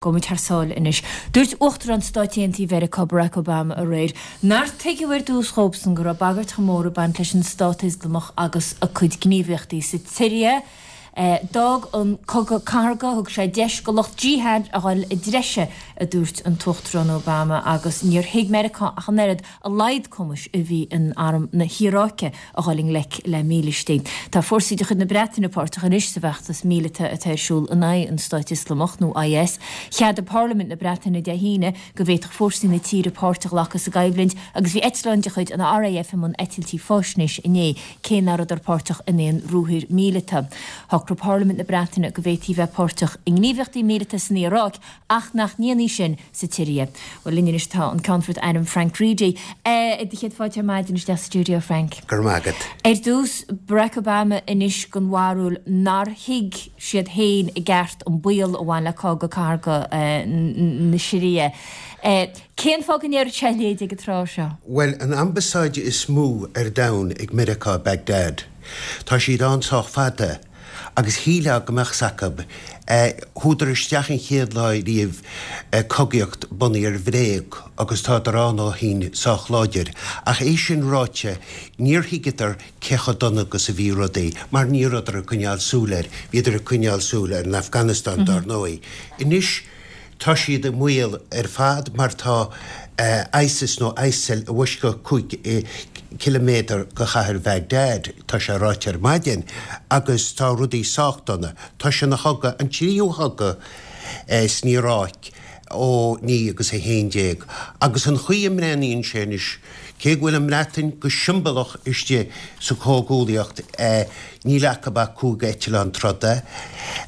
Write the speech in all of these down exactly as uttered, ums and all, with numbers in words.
Gabhfaidh muid thar sáile anois. Dúirt Uachtarán Stáit Aontaithe Mheiriceá Barack Obama aréir nár tuigeadh ar dtús dhóibhsan go raibh bagairt chomh mór ag baint leis an Stát Ioslamach agus a cuid gníomhaíochtaí sa tSiria. D'fhág an cogadh cathartha, thug sé deis go lucht jihad a dhul i dtreise, a dúirt an tUachtarán Obama, agus níor thuig Meiriceá ach an oiread a laghad cumais a bhí in arm na hIaráice a dhul i ngleic le mílístí. Tá fórsaí de chuid na Breataine páirteach anois sa bhfeachtas míleata atá ar siúl in aghaidh an Stáit Ioslamach, nó I S. Cheadaigh Parlaimint na Breataine Dé hAoine go bhféadfadh fórsaí na tíre páirt a ghlacadh sa gcoimhlint agus bhí eitleáin de chuid an R A F i mbun eitiltí faisnéise inné, cé nach rabhadar páirteach in aon ruathar míleata. Shocraigh Parlaimint na Breataine go bhféadfaí bheith páirteach i ngníomhaíochtaí míleata san Iaráic ach nach ndéanfaí sin sa tSiria. Bhuel, linn anois tá an Ceannfort Airm Frank Reidy. Eh, do chéad fáilte ar maidin isteach sa stiúideo, Frank. Go raibh maith agat. Ar dtús, Barack Obama anois den bharúil nár thuig siad féin i gceart an baol a bhain le cogadh cathartha eh, na Siria. Eh, cén fáth go ndéarfadh sé a leithéid ag an tráth seo? Well, an ambasáid is mó ar domhan ag Meiriceá, Baghdad. Tá siad ann sách fada agus shílfeá go mbeadh acu. Chuadar isteach an chéad lá riamh cogaíocht bunaithe ar bhréag agus tá ann ó shin sách láidir. Ach é sin ráite, níor thuigeadar cé chomh dona agus a bhí rudaí, mar ní rabhadar ag coinneáil súil air, bhíodar ag coinneáil súil ar an Afghanistan dar ndóigh. Anois tá siad i mbaol ar fad mar tá uh, ISIS nó ISIL i bhfoisceacht cúig kilometer go chathair Baghdad, tá sé ráite ar maidin, agus tá rudaí sách dona. Tá sé ina chogadh, an tríú chogadh eh, san Iaráic ó naoi agus a haon déag. Agus an chaoi a mbreathnaíonn sé anois, cé go bhfuil an Bhreatain go siombalach istigh sa chomhghuaillíocht, eh, níl acu ach cúig eitleán troda.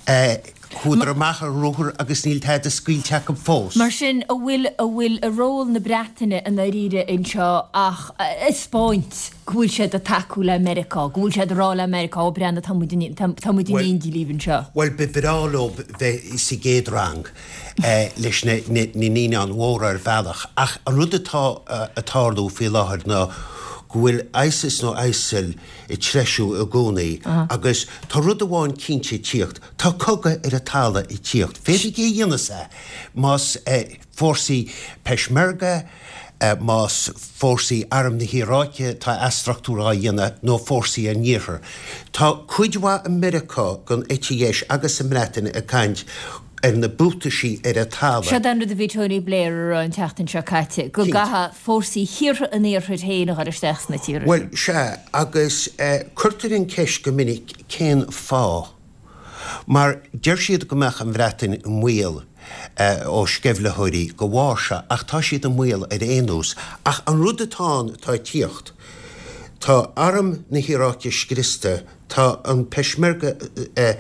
Eh, Chuadar amach ar ruathar agus níl tada scaoilte acu fós. Mar sin a bhfuil a bhfuil a ról na Breataine i ndáiríre anseo ach spáint go bhfuil siad ag tacú le Meiriceá, go bhfuil siad ag rá le Meiriceá, ó breathnaigh, tá muid tá muid in éindí libh anseo. Well, ba bhreá leo bheith sa gcéad rang eh, leis na naíonáin mhóra ar bhealach, ach an rud atá ag tarlú faoi láthair ná go bhfuil ISIS nó ISIL ag treisiú i gcónaí agus tá rud amháin cinnte ag tíocht, tá cogadh ar an talamh ag tíocht. Féadfaidh é dhéanamh é más eh, fórsaí Peshmerga, eh, más fórsaí arm na hIaráice tá athstruchtúrú á dhéanamh nó fórsaí an iarthar. Tá cuid mhaith i Meiriceá den eite dheis agus sa mBreatain ag caint ar na buataisí ar an talamh. Seo an rud a bhí Tony Blair an tseachtain seo caite, go gcaithfidh fórsaí thíortha an iarthair féin a chur isteach sna tíortha. Well, sea, agus eh, cuirtear an ceist go minic cén fáth. Mar deir siad go mbeadh an Bhreatain i mbaol eh, ó sceimhlitheoirí go bharr, ach tá siad i mbaol ar aon nós. Ach an rud atá atá ag tíocht, tá arm na hIaráice scriosta, tá an Peshmerga, eh,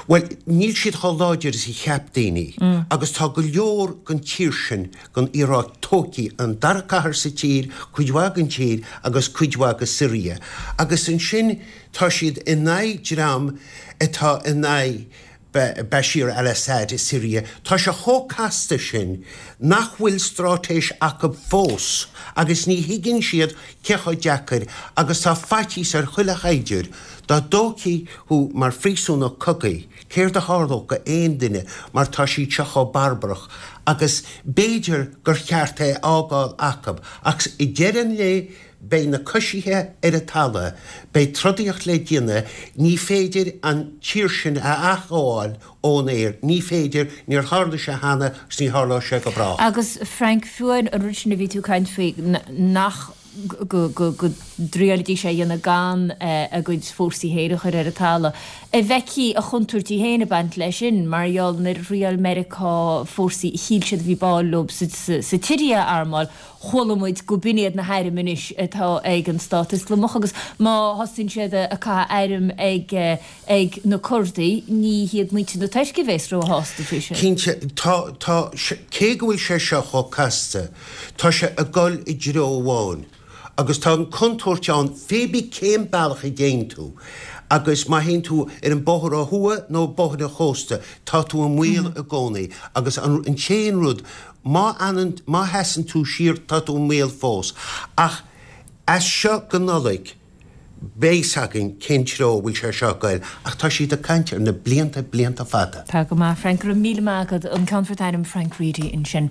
well, níl siad chomh láidir is a cheap daoine, mm. agus tá go leor den tír sin den Iaráic tógtha, an dara cathair sa tír, cuid mhaith den tír agus cuid mhaith de Siria. Agus ansin tá siad in aghaidh dream atá in aghaidh Bashir al-Assad i Siria. Tá sé chomh casta sin nach bhfuil straitéis acu fós agus ní thuigeann siad cé chomh deacair agus tá faitíos ar chuile shaighdiúir dá dtógfaí thú mar phríosúnach cogaidh, céard a tharlódh go aon duine mar tá siad seo chomh barbarach agus b'fhéidir gur cheart é fhágáil acu, ach i deireadh an lae beidh na coisithe ar an talamh, beidh trodaíocht le déanamh, ní féidir an tír sin a athghabháil ón aer, ní féidir, níor tharla sé cheana agus ní tharlóidh sé go brách. Agus Frank, fiú an rud sin a bhí tú ag caint faoi nach go dtriailfidís é a dhéanamh gan a gcuid fórsaí féin a chur ar an talamh. A bhfeicfí a chontúirtí féin ag baint leis sin, mar gheall nuair a thriail Meiriceá fórsaí a shíl siad a bhí báúil leo sa tSiria a armáil, chuala muid go b'in iad na hairm anois atá ag an Stát Ioslamach agus má thosaíonn siad ag caitheamh airm ag ag na Curdaigh, ní hiad muintir na Tuirce a bheas róshásta faoi sin. Cinnte, tá tá cé go bhfuil sé seo chomh casta, tá sé ag dul i dtreo amháin. Agus tá an contúirt ann pé bith cén bealach a dtéann tú. Agus má théann tú ar an bóthar ó thuaidh nó bóthar an chósta, tá tú i mbaol i gcónaí. Agus an an t-aon rud, má fhanann má sheasann tú siar, tá tú i mbaol fós. Ach as seo go Nollaig, Beidh a fhios againn cén treo a bhfuil sé seo ag goil, ach tá siad ag caint ar na blianta, blianta fada. Tá go maith, Frank, go raibh míle maith agat, an Ceannfort Airm Frank Reidy ansin.